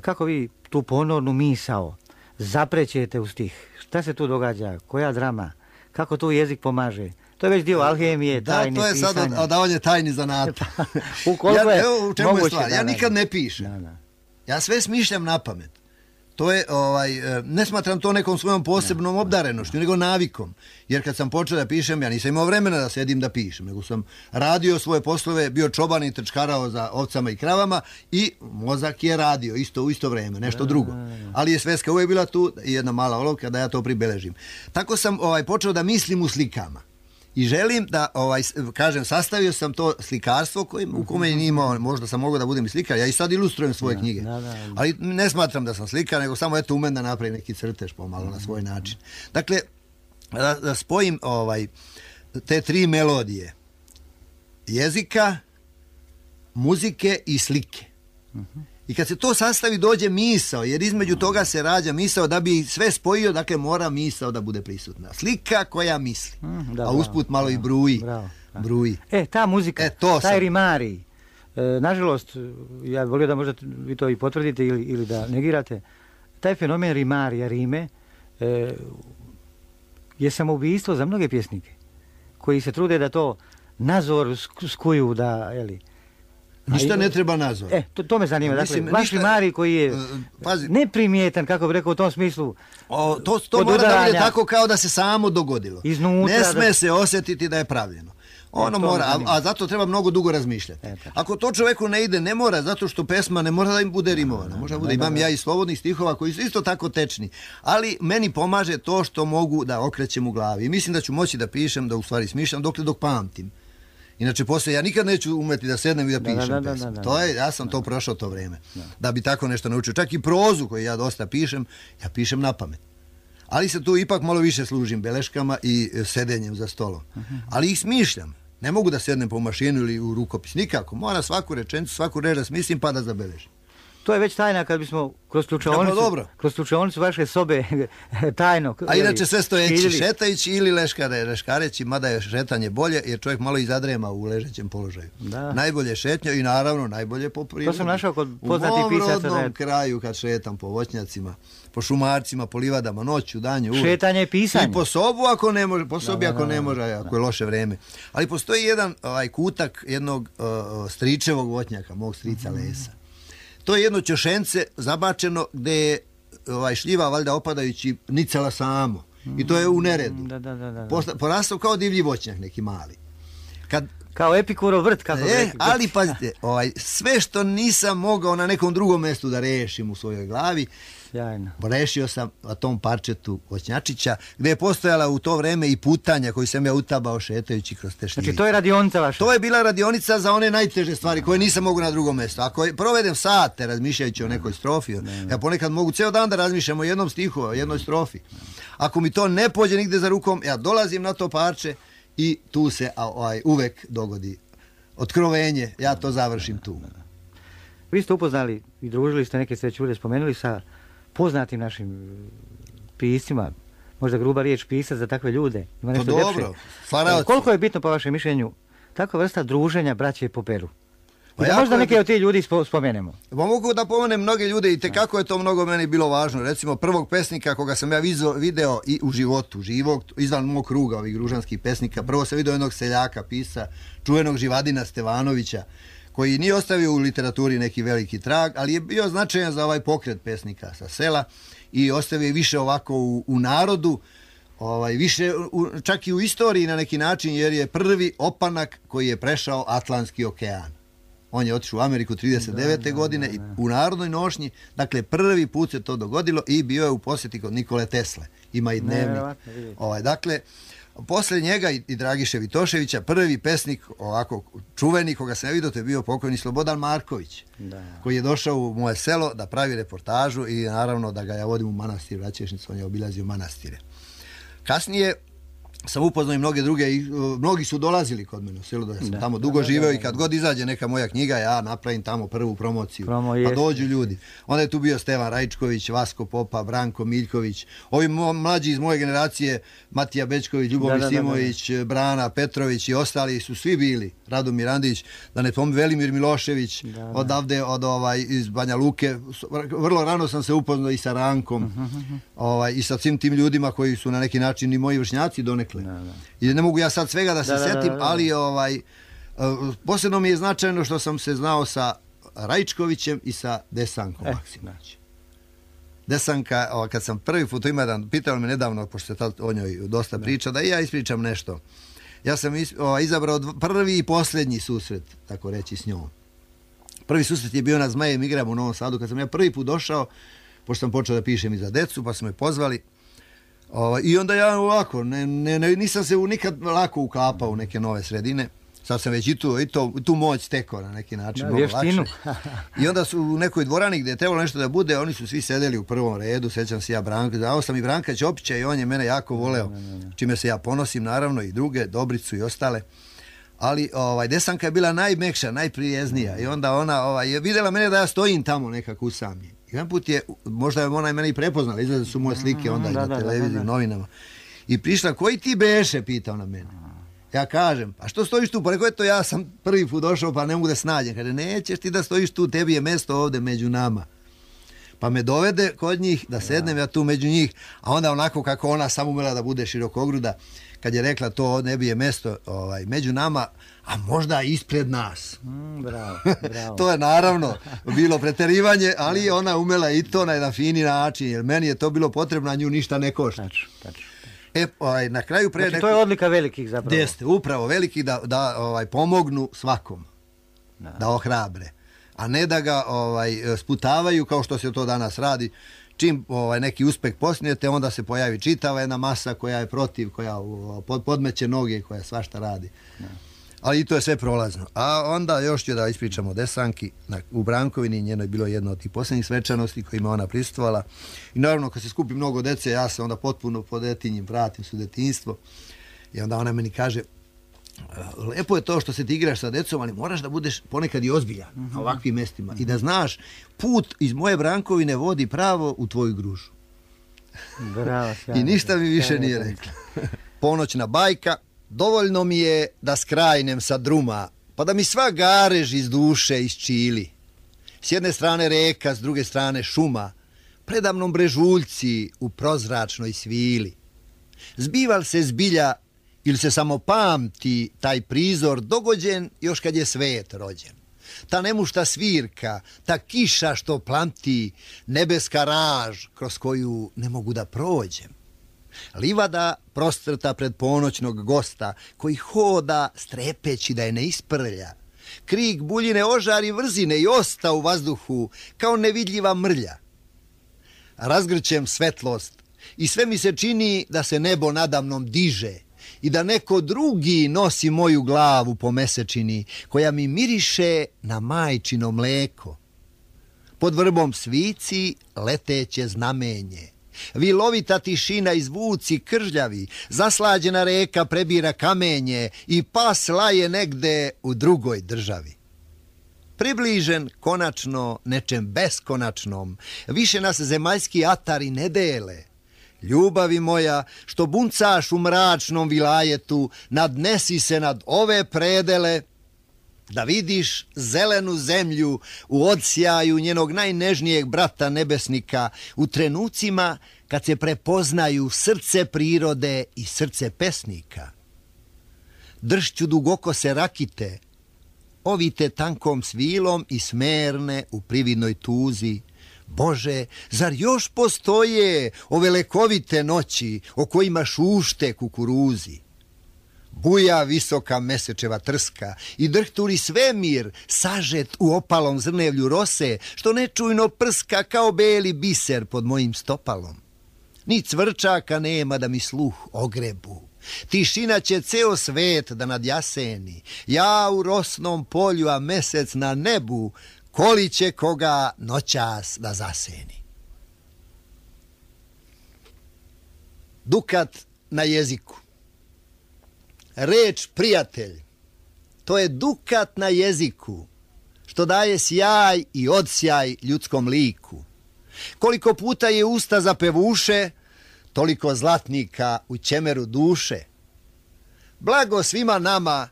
Kako vi tu ponornu misao zaprećete u stih? Šta se tu događa? Koja drama? Kako tu jezik pomaže? To je već dio alhemije, tajne pisanja. Da, to je sad odavanje tajni zanata. U čemu je stvar? Ja nikad ne pišem. Ja sve smišljam na pamet. To je, ne smatram to nekom svojom posebnom obdarenošću, nego navikom. Jer kad sam počeo da pišem, ja nisam imao vremena da sedim da pišem, nego sam radio svoje poslove, bio čoban i trčkarao za ovcama i kravama i mozak je radio u isto vreme, nešto drugo. Ali je sveska uvijek bila tu i jedna mala olovka da ja to pribeležim. Tako sam počeo da mislim u slikama. I želim da, kažem, sastavio sam to slikarstvo u kome nije imao, možda sam mogao da budem i slikar, ja i sad ilustrujem svoje knjige, ali ne smatram da sam slikar, nego samo umem da napravim neki crtež pomalo na svoj način. Dakle, da spojim te 3 melodije jezika, muzike i slike. I kad se to sastavi dođe misao, jer između toga se rađa misao, da bi sve spojio, dakle mora misao da bude prisutna. Slika koja misli, a usput malo i bruji. Bruji. Ta muzika, taj rimarij, nažalost, ja volio da možda vi to i potvrdite ili da negirate, taj fenomen rimarija, rime, je samoubistvo za mnoge pjesnike, koji se trude da to nazor skuju, da, jeli... Ništa ne treba nazor. To me zanima. Dakle, vaš rimarij koji je neprimjetan, kako bih rekao, u tom smislu. To mora da bude tako kao da se samo dogodilo. Iznutra, ne sme se osjetiti da je pravljeno. Ono mora, a zato treba mnogo dugo razmišljati. Ako to čoveku ne ide, ne mora, zato što pesma ne mora da im bude rimovana. Možda bude, imam ja i slobodnih stihova koji su isto tako tečni. Ali meni pomaže to što mogu da okrećem u glavi. I mislim da ću moći da pišem, da u stvari smišljam, dok pamtim. Inače, poslije ja nikad neću umeti da sednem i da pišem pesmu. Ja sam to prošao to vreme. Da bi tako nešto naučio. Čak i prozu koju ja dosta pišem, ja pišem na pamet. Ali se tu ipak malo više služim beleškama i sedenjem za stolom. Ali ih smišljam. Ne mogu da sednem po mašinu ili u rukopis. Nikako. Mora svaku rečenicu, svaku reč da smislim pa da zabeležim. To je već tajna kad bismo kroz slučajonicu vaše sobe tajno. A inače sve stojeći, šetajući ili leškareći, mada je šetanje bolje, jer čovjek malo i zadrema u ležećem položaju. Najbolje šetnja i naravno najbolje po prirodi. To sam našao kod poznatih pisaca. U mom rodnom kraju kad šetam po voćnjacima, po šumarcima, po livadama, noću, danju, uvijek. Šetanje i pisanje. I po sobu ako ne može, po sobi ako ne može, ako je loše vreme. Ali postoji jedan kutak jednog stričevog voćnjaka, mog strica Lesa. To je jedno ćošence zabačeno gdje je šljiva valjda opadajući nicala samo. I to je u neredu. Porastao kao divlji voćnjak neki mali. Kao Epikurov vrt, kako rekli. Ali pazite, sve što nisam mogao na nekom drugom mjestu da rešim u svojoj glavi, rešio sam na tom parčetu voćnjačića, gdje je postojala u to vreme i putanja koju sam ja utabao šetajući kroz te šljivice. Znači to je radionica vaša? To je bila radionica za one najteže stvari koje nisam mogu na drugom mjestu. Ako provedem sate razmišljajući o nekoj strofi, ja ponekad mogu ceo dan da razmišljam o jednom stihu, o jednoj strofi. Ako mi to ne pođe nigde za rukom, ja dolazim na to parče i tu se uvek dogodi otkrovenje, ja to završim tu. Vi ste upoznali i družili ste, neke ste već ovdje spomenuli, sa poznatim našim piscima, možda gruba riječ pisac za takve ljude. Ima nešto dobro, koliko je bitno po vašem mišljenju takva vrsta druženja braće po peru? Da možda neke od tih ljudi spomenemo. Mogu da pomenem mnoge ljude i tekako je to mnogo meni bilo važno. Recimo prvog pesnika koga sam ja video i u životu, živog, izvan mog kruga ovih gružanskih pesnika. Prvo sam video jednog seljaka, pisa, čuvenog Živadina Stevanovića, koji nije ostavio u literaturi neki veliki trag, ali je bio značajan za ovaj pokret pesnika sa sela i ostavio je više ovako u narodu, više čak i u istoriji na neki način, jer je prvi opanak koji je prešao Atlantski okean. On je otišao u Ameriku 39. godine i u narodnoj nošnji, dakle prvi put se to dogodilo i bio je u posjeti kod Nikole Tesle. Ima i dnevnik. Dakle, posle njega i Dragiše Vitoševića, prvi pesnik ovako čuveni koga sam ja vidio, to je bio pokojni Slobodan Marković, koji je došao u moje selo da pravi reportažu i naravno da ga ja vodim u manastir Račešnicu, on je obilazio manastire. Kasnije sam upoznao i mnoge druge, mnogi su dolazili kod mene u selu, da sam tamo dugo živeo i kad god izađe neka moja knjiga, ja napravim tamo prvu promociju, pa dođu ljudi. Onda je tu bio Stevan Rajčković, Vasko Popa, Branko Miljković, ovi mlađi iz moje generacije, Matija Bečković, Ljubomir Simović, Brana Petrović i ostali su svi bili, Radomir Andić, da ne pomem, Velimir Milošević, odavde iz Banja Luke. Vrlo rano sam se upoznao i sa Rankom i sa svim tim ljudima koji su na neki način i moji vršnjaci donekle. I ne mogu ja sad svega da se setim, ali posebno mi je značajno što sam se znao sa Rajčkovićem i sa Desankom Maksimovićem. Desanka, kad sam prvi put pitao me nedavno, pošto se o njoj dosta priča, da i ja ispričam nešto. Ja sam izabrao prvi i posljednji susret, tako reći, s njom. Prvi susret je bio na Zmajem igram u Novom Sadu, kad sam ja prvi put došao, pošto sam počeo da pišem i za decu, pa su me pozvali. I onda ja ovako, nisam se nikad lako uklapao u neke nove sredine. Sad sam već i tu moć stekao na neki način, mnogo lakše. I onda su u nekoj dvorani gdje je trebalo nešto da bude, oni su svi sedeli u prvom redu, sećam se ja Branka, dao sam i Branka Ćopića i on je mene jako voleo, čime se ja ponosim, naravno, i druge, Dobricu i ostale. ali Desanka je bila najmekša, najprijeznija i onda ona je vidjela mene da ja stojim tamo nekako usamljen. Jedan put je, možda je ona i mene i prepoznala, izgleda su moje slike onda i na televiziji, novinama. I prišla, koji ti beše, pita ona mene. Ja kažem, a što stojiš tu? Pa rekao, eto, ja sam prvi put došao, pa ne mogu da snađem. Kaže, nećeš ti da stojiš tu, tebi je mjesto ovdje među nama. Pa me dovede kod njih, da sednem ja tu među njih, a onda onako kako ona samo umela da bude širokogruda, kad je rekla to ne bi je mjesto među nama, a možda ispred nas. Bravo. To je naravno bilo preterivanje, ali ona umela i to na jedan fini način, jer meni je to bilo potrebno, a nju ništa ne košta. Tačno. Na kraju Znači, to je odlika velikih zapravo. Jeste, upravo velikih da pomognu svakom, da ohrabre, a ne da ga sputavaju kao što se to danas radi. Čim neki uspeh postignete, onda se pojavi čitava jedna masa koja je protiv, koja podmeće noge, koja svašta radi. Ali i to je sve prolazno. A onda još ću da ispričamo o Desanki. U Brankovini njenoj bilo jedno od tih posljednjih svečanosti kojima ona prisustvovala. I naravno kad se skupi mnogo dece, ja se onda potpuno po detinjim vratim su detinjstvo. I onda ona meni kaže, lepo je to što se ti igraš sa decom, ali moraš da budeš ponekad i ozbiljan na ovakvim mestima. I da znaš, put iz moje Brankovine vodi pravo u tvoju gružu. Bravo, sjajno. I ništa mi više nije rekla. Ponoćna bajka. Dovoljno mi je da skrajnem sa druma, pa da mi sva garež iz duše isčili. S jedne strane reka, s druge strane šuma, predamnom brežuljci u prozračnoj svili. Zbival se zbilja ili se samo pamti taj prizor dogođen još kad je svet rođen. Ta nemušta svirka, ta kiša što plamti, nebeska raž kroz koju ne mogu da prođem. Livada prostrta pred ponoćnog gosta, koji hoda strepeći da je ne isprlja. Krik buljine ožari vrzine i osta u vazduhu kao nevidljiva mrlja. Razgrćem svetlost i sve mi se čini da se nebo nadamnom diže i da neko drugi nosi moju glavu po mesečini koja mi miriše na majčino mleko. Pod vrbom svici leteće znamenje. Vilovita tišina i zvuci kržljavi, zaslađena reka prebira kamenje i pas laje negde u drugoj državi. Približen konačno nečem beskonačnom, više nas zemaljski atari ne dele. Ljubavi moja, što buncaš u mračnom vilajetu, nadnesi se nad ove predele, da vidiš zelenu zemlju u odsjaju njenog najnežnijeg brata nebesnika u trenucima kad se prepoznaju srce prirode i srce pesnika. Dršću dugokose rakite, ovite tankom svilom i smerne u prividnoj tuzi. Bože, zar još postoje ove lekovite noći o kojima šušte kukuruzi? Buja visoka mesečeva trska i drhturi svemir sažet u opalom zrnevlju rose, što nečujno prska kao beli biser pod mojim stopalom. Ni cvrčaka nema da mi sluh ogrebu. Tišina će ceo svet da nadjaseni. Ja u rosnom polju, a mesec na nebu, koli će koga noćas da zaseni. Dukat na jeziku. Reč prijatelj, to je dukat na jeziku, što daje sjaj i odsjaj ljudskom liku. Koliko puta je usta zapevuše, toliko zlatnika u ćemeru duše. Blago svima nama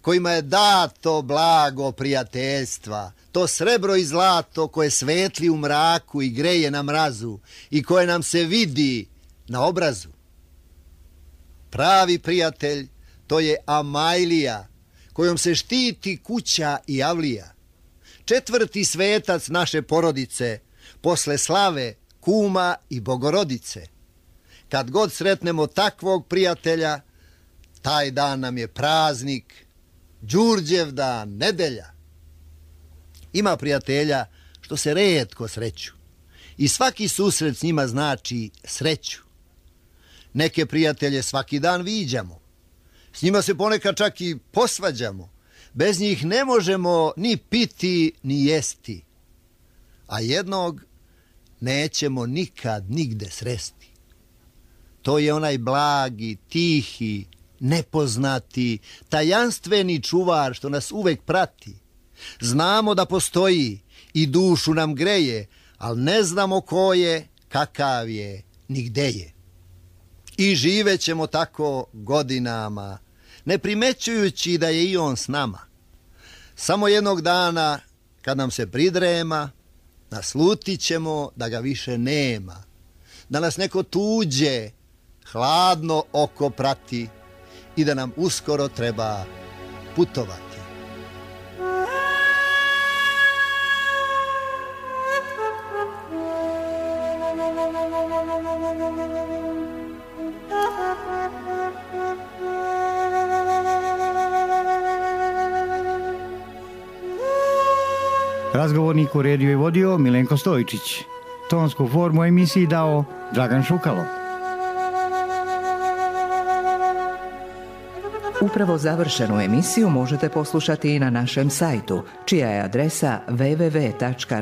kojima je dato blago prijateljstva, to srebro i zlato koje svetli u mraku i greje na mrazu i koje nam se vidi na obrazu. Pravi prijatelj, to je Amajlija, kojom se štiti kuća i avlija. Četvrti svetac naše porodice, posle slave, kuma i bogorodice. Kad god sretnemo takvog prijatelja, taj dan nam je praznik, Đurđev dan, nedelja. Ima prijatelja što se retko sreću i svaki susret s njima znači sreću. Neke prijatelje svaki dan viđamo, s njima se ponekad čak i posvađamo, bez njih ne možemo ni piti ni jesti, a jednog nećemo nikad nigde sresti. To je onaj blagi, tihi, nepoznati, tajanstveni čuvar što nas uvek prati. Znamo da postoji i dušu nam greje, ali ne znamo ko je, kakav je, ni gde je. I živećemo tako godinama, ne primećujući da je i on s nama. Samo jednog dana, kad nam se pridrema, naslutit ćemo da ga više nema, da nas neko tuđe, hladno oko prati i da nam uskoro treba putovati. Razgovornik uredio i vodio Milenko Stojičić. Tonsku formu emisiji dao Dragan Šukalo. Upravo završenu emisiju možete poslušati i na našem sajtu, čija je adresa www.rtrs.tv.